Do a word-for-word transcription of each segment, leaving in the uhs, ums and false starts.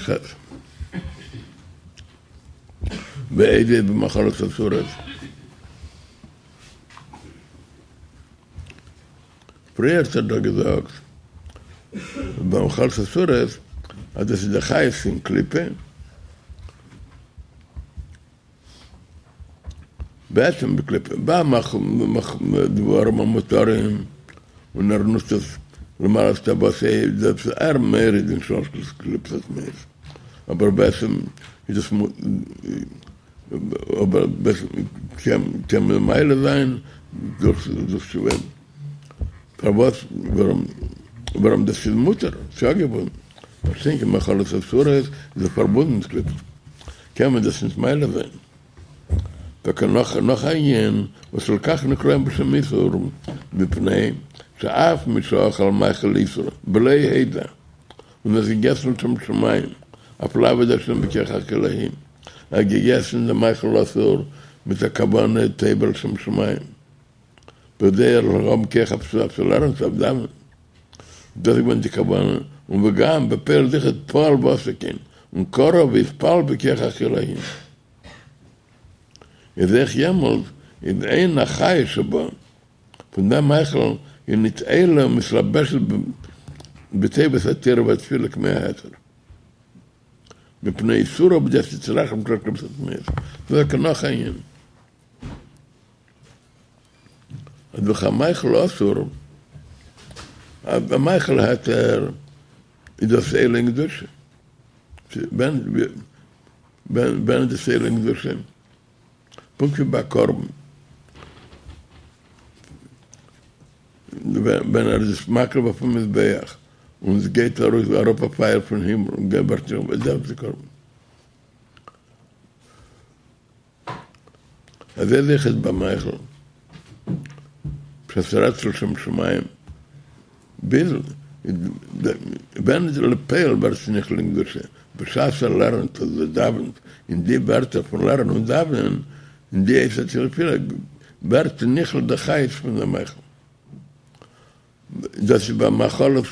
ח. ואיזה במאכלות אסורות. פריער האט ער דאך געזאגט במאכלות אסורות אז דאס איז די חיות פון קליפה, בעצם בקליפה, ביי דברים המותרים און ער נוצט עס למלאות תאוותו איז דאס ער מוריד אין שלש קליפות הטמאות, אבער בעצם איז דאס אבער בעצם קען מען מעלה זיין דורך תשובה, פארוואס ווארום דאס איז מותר, ס'איז יא געבונדן, מה שאין כן מאכלות אסורות איז דאך פארבונדן מיט קליפות, קען מען דאס נישט מעלה זיין. טאקע נאך נאך א ענין וואס לכך נקראים בשם איסור, מפני שאף מי שאכל מאכל איסור בלא הידע און עס געגעסן לשם שמים אויף לעבוד השם בכח האכילה, ער האט געגעסן דעם מאכל אסור מיט א כוונה טובה לשם שמים בכדי ער זאל האבן כח אויף צו לערנען צו אויף דאווענען דאס איז געווען די כוונה, און וגם בפועל זיכער פעל ועשה כן, און קרא והתפלל בכח האכילה. איז אויך יעמאלט איז אין החיות שבו, פון דעם מאכל איז ניט עולה ומתלבשת בטובת התורה והתפילה כמו ההיתר. מפני איסורו בידי הסטרא אחרא פון שלש קליפות הטמאות. דאס איז טאקע נאך א ענין. אז דורך א מאכל אסור, א מאכל היתר איז דאס עולה אין קדושה. ווען איז דאס עולה אין קדושה? פונקט ווי ביי א קרבן, ווען ער איז עס מקריב אויפן מזבח און עס גייט ארויס אראפ א פייער פון הימל און געבערט זיך איז דאס די קרבן. אזוי איז אויכעט ביי מאכל, בשעת ס'רעדט לשם שמים, ביז ווען איז לפועל ווערט עס נכלל אין קדושה, בשעת ער לערנט אדער דאווענט, אין די ווערטער פון לערנען און דאווענען, אין די עת התפילה, ווערט נכלל די חיות פון די מאכל. דאס איז ביי מאכלות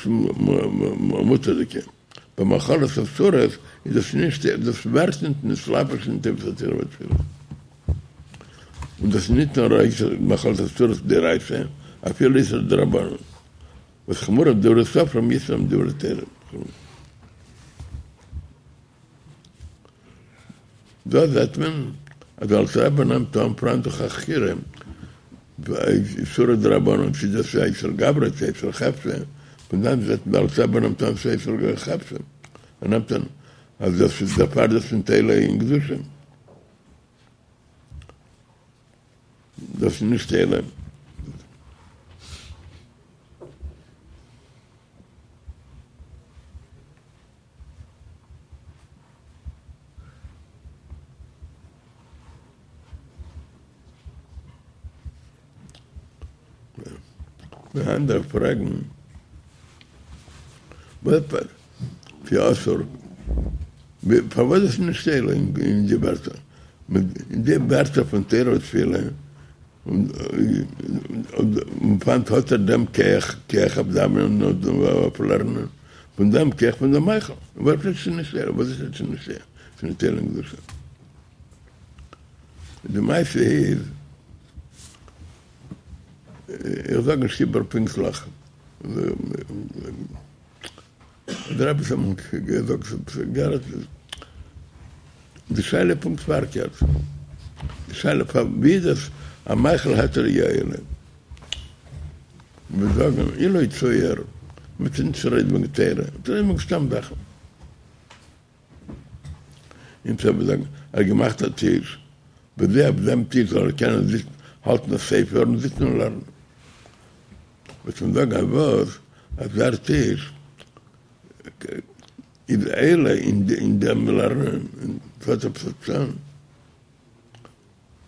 מותר'דיגע, ביי מאכלות אסורות איז דאס נישט, דאס ווערט נישט נתלבש אין טובת התורה והתפילה. און דאס איז נישט נאר איסור מאכלות אסורות דאורייתא, אפילו איסור דרבנן, וואס חמורה דברי סופרים יותר מדברי תורה. דא זעט מען אז דער אלטער רבי נעמט אן פאראן דאך א חקירה איסורא דרבנן צי דאס איז א איסור גברא צי איסור חפצא, פון דאן זעט מען דער אלטער רבי נעמט אן ס'איז איסור חפצא, ער נעמט אן אז דאס איז דערפאר דאס ניט עולה אין קדושה, דאס איז נישט עולה. די אנדערע פרעגן וואס ס'איז אסור, פארוואס איז נישט עולה אין די ווערטער, אין די ווערטער פון תורה ותפילה, און פון וואנעט האט ער דעם כח, כח אויף דאווענען און אויף לערנען, פון דעם כח פון דעם מאכל, וואס איז נישט עולה, וואס איז נישט עולה, ס'איז נישט עולה אין קדושה. די מעשה איז, איך זאג נישט איבער פונקטליך, דער רבי האט אמאל געזאגט, די שאלה איז פונקט פארקערט, די שאלה פאר ווי איז דאס א מאכל היתר יא עולה, מיר זאגן אילו יצוייר, מ'טוט נישט רעדן וועגן תורה, מ'טוט רעדן וועגן סתם זאכן. און צו זאגן, ער האט געמאכט א טיש, בכדי אויף דעם טיש זאל ער קענען זיצן, האלטן א ספר און זיצן און לערנען. וועט מען זאגן אז וואס? אז דער טיש איז עולה אין דעם לערנען, און ס'האט עפעס א טעם.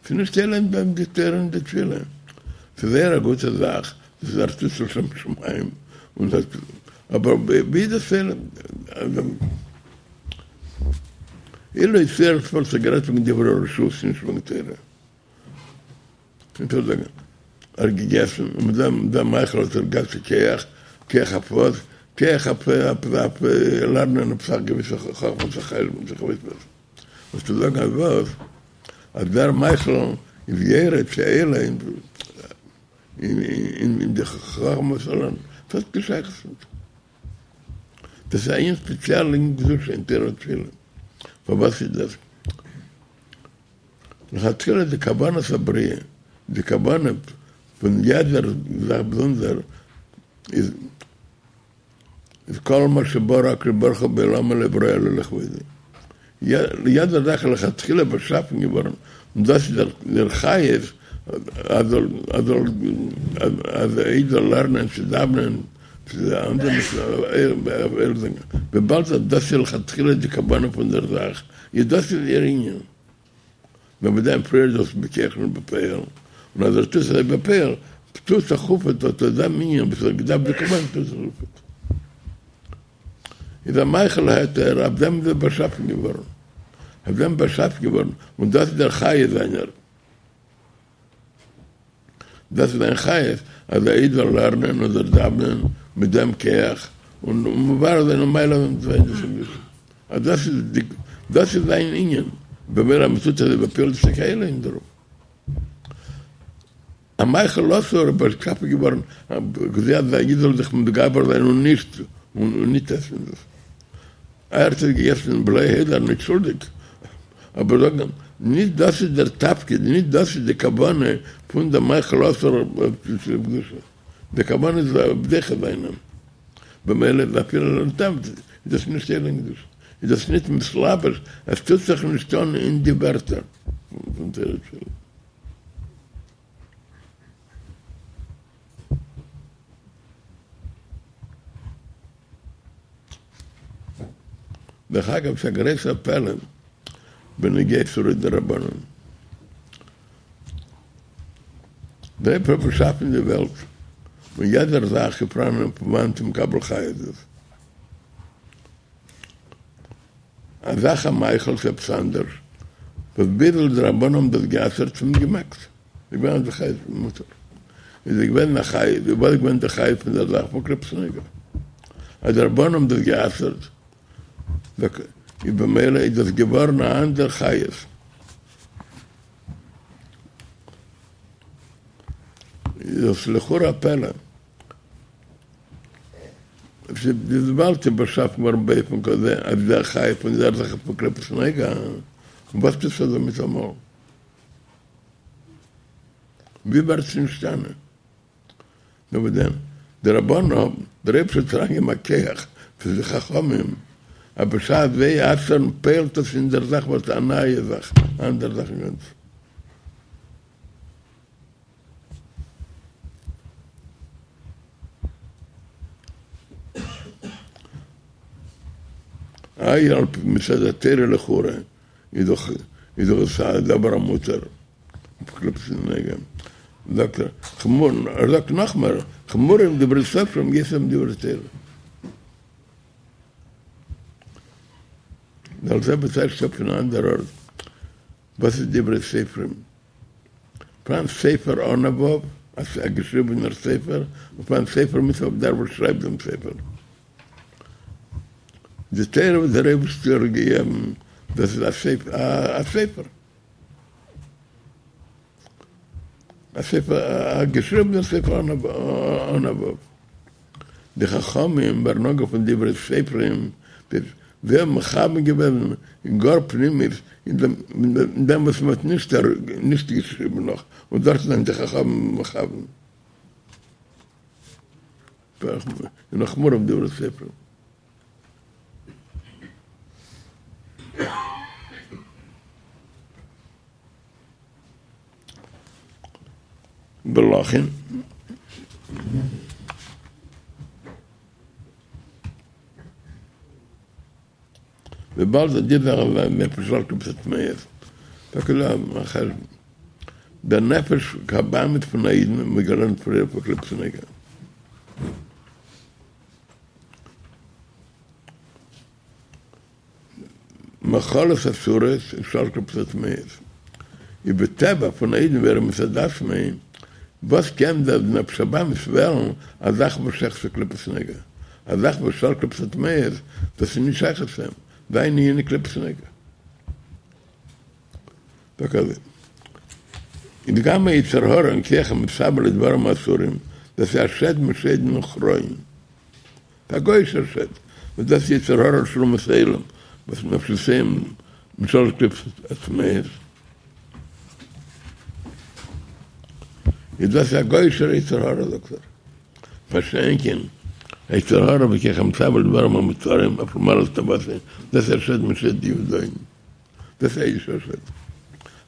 ס'איז נישט עולה אין די תורה און די תפילה. ס'איז זייער א גוטע זאך, דאס איז ער טוט לשם שמים, און דאס, אבער ווי איז דאס עולה? אילו יצוייר ס'וואלט זיך גערעדט וועגן דברי רשות נישט וועגן תורה. קענסט אויך זאגן ער האט געגעסן און מיט דעם דעם מאכל האט ער געהאט כח, כח אויף וואס? כח אויף אויף לערנען עפעס א געוויסע חכמת החשבון איך ווייס וואס. וואס צו זאגן אז וואס? אז דער מאכל איז יורד צו עולה אין אין די חכמת הלערנען. ס'האט קיין שייכות נישט. דאס איז א ענין ספעציעל אין קדושה אין תורה ותפילה. פארוואס איז דאס? לכתחילה די כוונת הבריאה, די כוונה פון יעדער זאך באזונדער איז איז כל מה שברא הקדוש ברוך הוא בעולמו לא ברא אלא לכבודו. יעדער זאך איז לכתחילה באשאפן געווארן און דאס איז דער חיות אז אז א איד זאל לערנען צו דאוונען צו אנדערע וויבאלד אז דאס איז לכתחילה די כוונה פון דער זאך איז דאס איז איר ענין. נאר מיט דעם פריער דאס בכח און בפועל, און אז ער טוט אזוי בפועל, טוט זיך אויף אט דעם ענין וואס ער האט געדארפט באקומען טוט זיך אויף. איז א מאכל היתר, אויף דעם איז ער באשאפן געווארן, אויף דעם באשאפן געווארן, און דאס איז דער חיות זיינער. דאס איז זיין חיות, אז א איד זאל לערנען און זאל דאוונען מיט דעם כח, און מברר זיין און מעלה זיין דאס אביסל. אז דאס איז די, דאס איז זיין ענין, במילא אז מ'טוט אזוי בפועל איז טאקע עולה אין דערויף. א מאכל אסור איז באשאפן געווארן כדי אז א איד זאל זיך מתגבר זיין און נישט און נישט עסן דאס. ער האט עס געגעסן בלא הודעה, נישט שולדיג, אבער זאגן נישט דאס איז דער תפקיד, נישט דאס איז די כוונה פון די מאכל אסור קדושה, די כוונה איז דוחה זיין, במילא איז אפילו לטעם איז דאס נישט עולה אין קדושה, איז דאס נישט מתלבש, עס טוט זיך נישט אן אין די ווערטער פון תורה ותפילה. דרך אגב ס'איז א גרויסער פלא בנוגע איסורי דרבנן. דער אייבערשטער האט באשאפן די וועלט און יעדער זאך איז פאראן פון וואנעט מקבל חיות איז. א זאך א מאכל איז עפעס אנדערש וואס ביז די רבנן האבן דאס גע'אסר'ט האט מען געמעגט. איז געווען די חיות מותר. איז געווען א חיות, וואס איז געווען די חיות פון דער זאך פון קליפת נוגה. אז די רבנן האבן דאס גע'אסר'ט, איז במילא איז דאס געווארן א אנדער חיות. איז דאס לכאורה א פלא. וויבאלד ס'איז באשאפן געווארן באופן כזה אז דער חיות פון דער זאך איז פון קליפת נוגה, וואס טוט זיך דא מיטאמאל? ווי ווערט עס נשתנה? נאר וואס דען, די רבנן האבן, דער אייבערשטער האט אריינגעגעבן א כח פאר די חכמים, אז בשעת זיי אסר'ן פועל'ט עס אין דער זאך וואס א נייע זאך, א אנדערע זאך אינגאנצן. איי על פי מצד התורה לכאורה איז דאך איז דאך עס א דבר המותר, קליפת נוגה, זאגט ער, חמור, ער זאגט נאכמער, חמורים דברי סופרים יותר מדברי תורה. דער זעלבע טייטשט אפ אין אן אנדער ארט, וואס איז דברי סופרים? פאראן סופר אן א ו', א געשריבענער ספר, און פאראן סופר מיט א ו', דער וואס שרייבט דעם ספר. די תורה וואס דער אייבערשטער האט געגעבן, דאס איז א ספר, א ספר, א ספר, א געשריבענער ספר אן א ו'. די חכמים ווערן אנגערופן דברי סופרים, זיי האבן מכוון געווען אין גאר פנימיות אין דעם וואס מען האט נישט נישט געשריבן נאך, און דארט זענען די חכמים מכוון. און חמורים דברי סופרים. ולכן וויבאלד אז די זאך איז נפש של קליפות הטמאות, טאקע דא א חשבון, דער נפש הבהמית פון א אידן האט מען געלערנט פריער פון קליפת נוגה. מאכלות אסורות און שאר קליפות הטמאות איז בטבע פון א אידן ווי ער איז מצד עצמו, וואס קען דער נפש הבהמית וועלן א זאך וואס שייך צו קליפת נוגה? א זאך וואס שלש קליפות הטמאות, דאס איז נישט שייך צו אים, זיין ענין איז קליפת נוגה. זאג אזוי, איז גם היצר הרע און כח המתאווה לדברים האסורים, דאס איז א שד משדין וכרעין, ס'איז א גוי'אישער שד, וואס דאס איז יצר הרע של אומות העולם, וואס נפשותיהם משלש קליפות הטמאות, איז דאס א גוי'אישער יצר הרע זאגט ער, מה שאין כן היצר הרע וכח המתאווה לדברים המותרים אויף למעלה תאוותו, דאס איז א שד משד יהודאים, דאס איז א אידישער שד.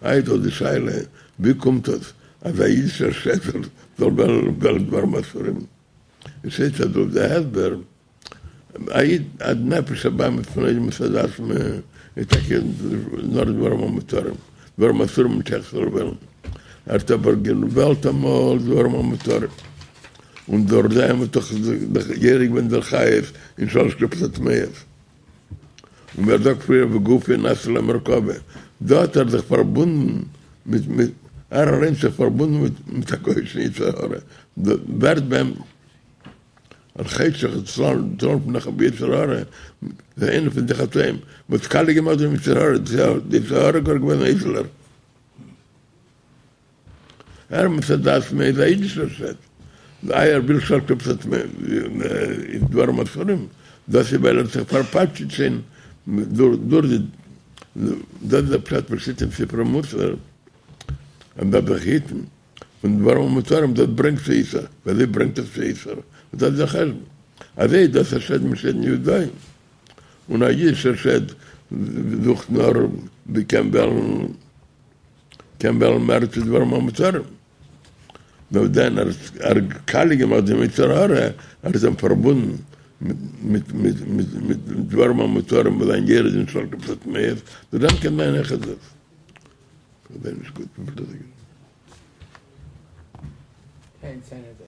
איי דא די שאלה ווי קומט דאס אז א אידישער שד זאל וועלן דברים אסורים? עס הייסט אז דורך די הסבר א איד א נפש הבהמית פון אדם מצד עצמו איז טאקע נאר דברים המותרים, דברים אסורים נישט שייך זאל וועלן, ער האט אבער געוועלט אמאל דברים המותרים, און דורך דעם האט דאך יורד געווען דער חיות אין שלש קליפות הטמאות, און ווי ער זאגט פריער וגופו נעשה לו מרכבה, דא האט ער זיך פארבונדן מיט מיט ער אליינס זיך פארבונדן מיט מיט א גוי'אישן יצר הרע, ווערט ביי אים על חטא שחטא לפניך ביצר הרע, איז איינע פון די חטאים וואס קאליע געמאכט דעם יצר הרע, די יצר הרע גאר געווען א איידעלער. ער מצד עצמו איז א אידישער שד, איי ער וויל שלש קליפות איז דברים אסורים, דאס איז ווייל ער האט זיך פארפאטשעט שוין דורך די, דאס איז דער פשט וואס שטייט אין ספרי מוסר אז מ'דארף זיך היטן פון דברים המותרים, דאס ברענגט צו איסור, ווי אזוי ברענגט עס צו איסור? דאס איז דער חשבון, אזוי איז דאס א שד משדין יהודאים, און א אידישער שד זוכט נאר ווי קען וועלן. קען וועלן מער צו דברים המותרים. נאר דען ער האט קאליע געמאכט דעם יצר הרע, ער האט אים פארבונדן מיט מיט מיט מיט דברים המותרים וואס זיינען יורד אין שלש קליפות הטמאות, דורך דעם קען זיין אויכעט דאס. כ'זעה נישט גוט וויפיל דאס איז.